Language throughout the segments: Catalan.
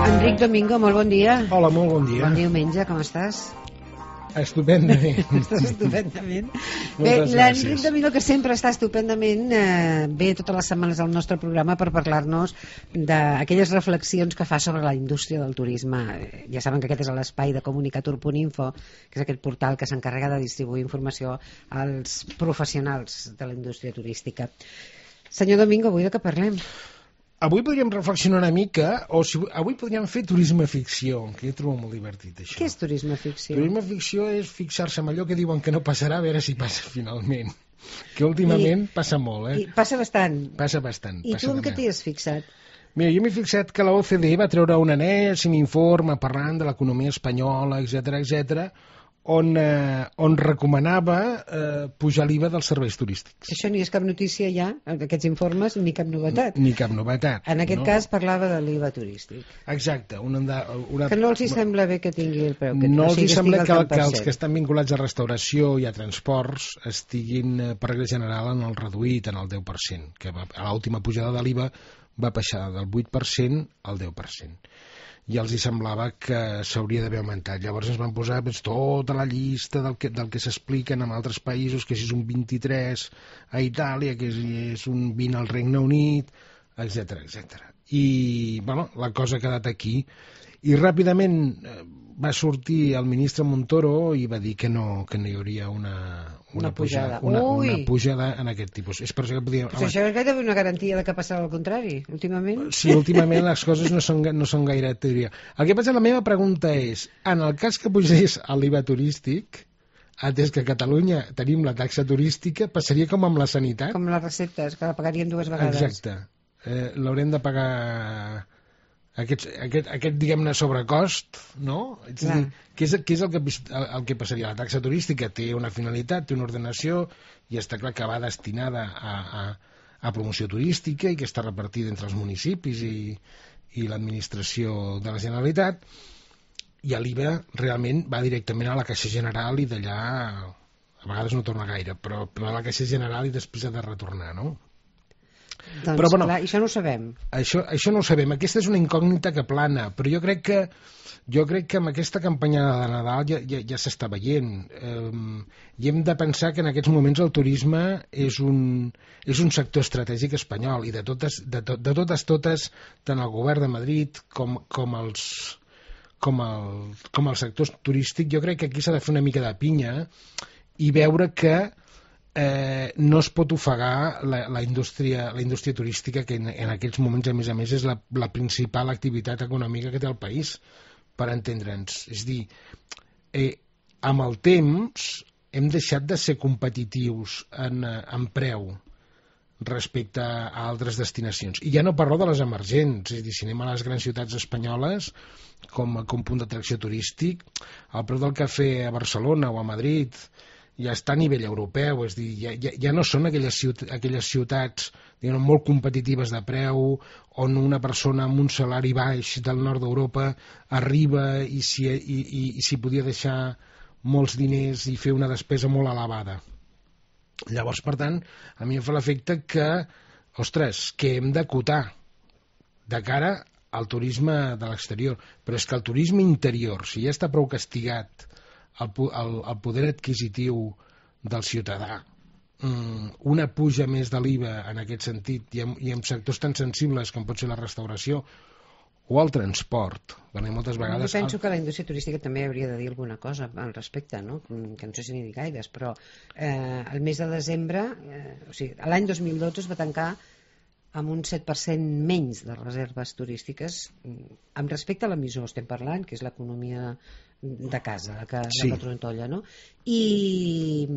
Enric Domingo, molt bon dia. Hola, molt bon dia. Bon diumenge, com estàs? Estupendament. Estàs estupendament. Bé, l'Enric Domingo, que sempre està estupendament, ve totes les setmanes al nostre programa per parlar-nos d'aquelles reflexions que fa sobre la indústria del turisme. Ja saben que aquest és l'espai de comunicatur.info, que és aquest portal que s'encarrega de distribuir informació als professionals de la indústria turística. Senyor Domingo, avui de què parlem? Avui podríem reflexionar una mica, avui podríem fer turisme ficció, que jo trobo molt divertit, això. Què és turisme ficció? Turisme ficció és fixar-se en allò que diuen que no passarà, a veure si passa finalment. Que últimament passa molt, I passa bastant. Passa bastant. I tu en què t'hi has fixat? Mira, jo m'he fixat que la OCDE va treure un enèsim informe parlant de l'economia espanyola, etc, on recomanava pujar l'IVA dels serveis turístics. Això ni és cap notícia ja, aquests informes, ni cap novetat. Ni cap novetat. En aquest cas parlava de l'IVA turístic. Exacte. Que no els hi sembla bé que tingui el preu. No els hi sembla que els que estan vinculats a restauració i a transports estiguin, per regla general, en el reduït, en el 10%, que a l'última pujada de l'IVA va baixar del 8% al 10%. I els hi semblava que s'hauria d'haver augmentat. Llavors ens van posar tota la llista del que s'expliquen en altres països, que si és un 23 a Itàlia, que és un 20 al Regne Unit, etc. I bueno, la cosa ha quedat aquí. I ràpidament va sortir el ministre Montoro i va dir que no hi hauria una pujada en aquest tipus. És per això que podíem... Però això és gairebé una garantia de que passarà al contrari, últimament. Sí, últimament les coses no són gaire teoria. El que passa, la meva pregunta és, en el cas que pugés l'IVA turístic, atès que a Catalunya tenim la taxa turística, passaria com amb la sanitat? Com les receptes, que la pagaríem 2 vegades. Exacte. L'haurem de pagar... Aquest diguem-ne, sobrecost, no? És a dir, què és el que passaria? La taxa turística té una finalitat, té una ordenació, i està clar que va destinada a promoció turística i que està repartida entre els municipis i l'administració de la Generalitat, i l'IVA realment va directament a la Caixa General i d'allà a vegades no torna gaire, però a la Caixa General i després ha de retornar, no? Doncs però, bueno, clar, això no ho sabem. Això no ho sabem. Aquesta és una incògnita que plana, però jo crec que amb aquesta campanya de Nadal ja s'està veient. I hem de pensar que en aquests moments el turisme és un sector estratègic espanyol, i de totes, tant el govern de Madrid com el sector turístic, jo crec que aquí s'ha de fer una mica de pinya i veure que no es pot ofegar la indústria turística, que en aquests moments a més és la principal activitat econòmica que té el país, per entendre'ns. És a dir, amb el temps hem deixat de ser competitius en preu respecte a altres destinacions, i ja no parlo de les emergents. És a dir, si anem a les grans ciutats espanyoles com punt d'atracció turístic, el preu del cafè a Barcelona o a Madrid ja està a nivell europeu. És a dir, ja no són aquelles ciutats, diguem, molt competitives de preu, on una persona amb un salari baix del nord d'Europa arriba i s'hi podia deixar molts diners i fer una despesa molt elevada. Llavors, per tant, a mi em fa l'efecte que, ostres, que hem d'acotar de cara al turisme de l'exterior. Però és que el turisme interior, si ja està prou castigat el poder adquisitiu del ciutadà, una puja més de l'IVA en aquest sentit, i en sectors tan sensibles com pot ser la restauració o el transport, perquè moltes vegades... Jo penso que la indústria turística també hauria de dir alguna cosa al respecte, no? Que no sé si n'hi dic gaires, però el mes de desembre, o sigui, l'any 2012 es va tancar amb un 7% menys de reserves turístiques amb respecte a l'emissor, estem parlant, que és l'economia de casa, la que trontolla, no? I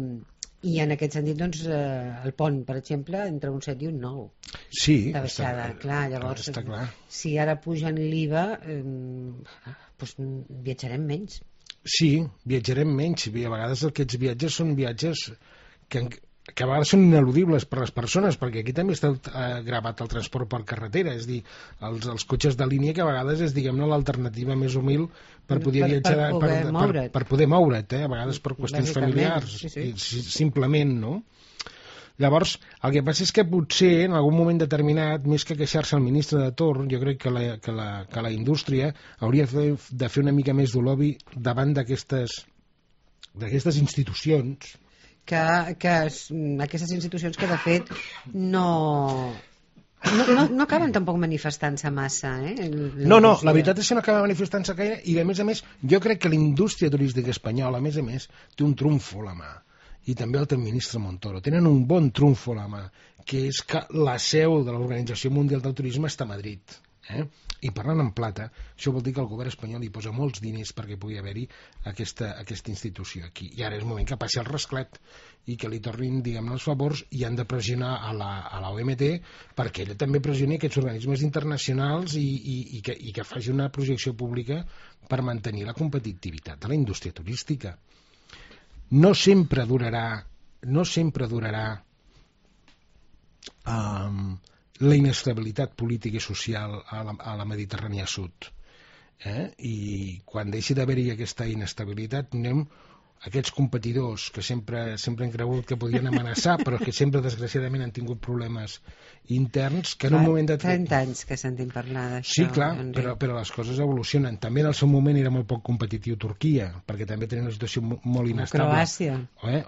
en aquest sentit, doncs, el pont, per exemple, entre un 7 i un 9. Sí, de baixada. Clar, llavors, està clar. Si ara pugen l'IVA, doncs viatjarem menys. Sí, viatjarem menys. A vegades aquests viatges són viatges que que a vegades són ineludibles per les persones, perquè aquí també està gravat el transport per carretera, és dir, els cotxes de línia que a vegades és, diguem-ne, l'alternativa més humil per poder viatjar, per poder moure't, a vegades per qüestions familiars, simplement, no? Llavors, el que passa és que potser en algun moment determinat, més que queixar-se al ministre de torn, jo crec que la indústria hauria de fer una mica més de lobby davant d'aquestes institucions. Que aquestes institucions que de fet no acaben tampoc manifestant-se massa, No, la veritat és que no acaba manifestant-se gaire, i a més jo crec que la indústria turística espanyola, a més, té un trumfo a la mà, i també el té el ministre Montoro. Tenen un bon trumfo a la mà, que és que la seu de l'Organització Mundial del Turisme està a Madrid. I parlant en plata, això vol dir que el govern espanyol hi posa molts diners perquè pugui haver-hi aquesta institució aquí. I ara és el moment que passi el rasclet i que li tornin, diguem-ne, els favors, i han de pressionar a la OMT perquè ella també pressioni aquests organismes internacionals i que faci una projecció pública per mantenir la competitivitat de la indústria turística. No sempre durarà la inestabilitat política i social a la Mediterrània Sud. I quan deixi d'haver-hi aquesta inestabilitat, tindrem aquests competidors que sempre han cregut que podien amenaçar, però que sempre, desgraciadament, han tingut problemes interns, que en un moment de... 30 anys que sentim parlar d'això. Sí, clar, però les coses evolucionen. També en el seu moment era molt poc competitiu Turquia, perquè també tenia una situació molt inestable.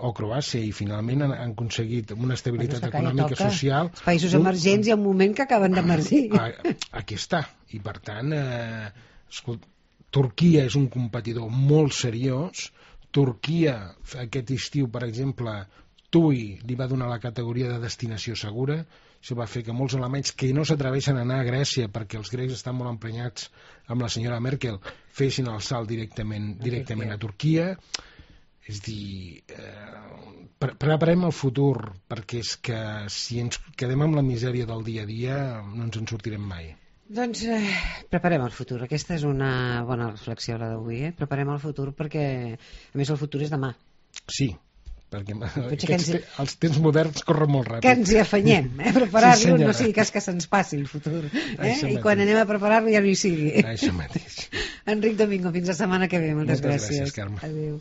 O Croàcia, i finalment han aconseguit una estabilitat econòmica i social. Els països emergents hi ha un moment que acaben d'emergir. Aquí està. I per tant, Turquia és un competidor molt seriós. Turquia, aquest estiu, per exemple, TUI li va donar la categoria de destinació segura. Això va fer que molts alemanys que no s'atreveixen a anar a Grècia perquè els grecs estan molt emprenyats amb la senyora Merkel fessin el salt directament a Turquia. És dir, preparem el futur, perquè és que si ens quedem amb la misèria del dia a dia no ens en sortirem mai. Doncs preparem el futur. Aquesta és una bona reflexió, la d'avui. Preparem el futur perquè, a més, el futur és demà. Sí, perquè els temps moderns corren molt ràpid. Que ens hi afanyem, preparar-lo, no sigui cas que se'ns passi el futur. I quan anem a preparar-lo ja no hi sigui. Això mateix. Enric Domingo, fins la setmana que ve. Moltes gràcies. Carme. Adéu.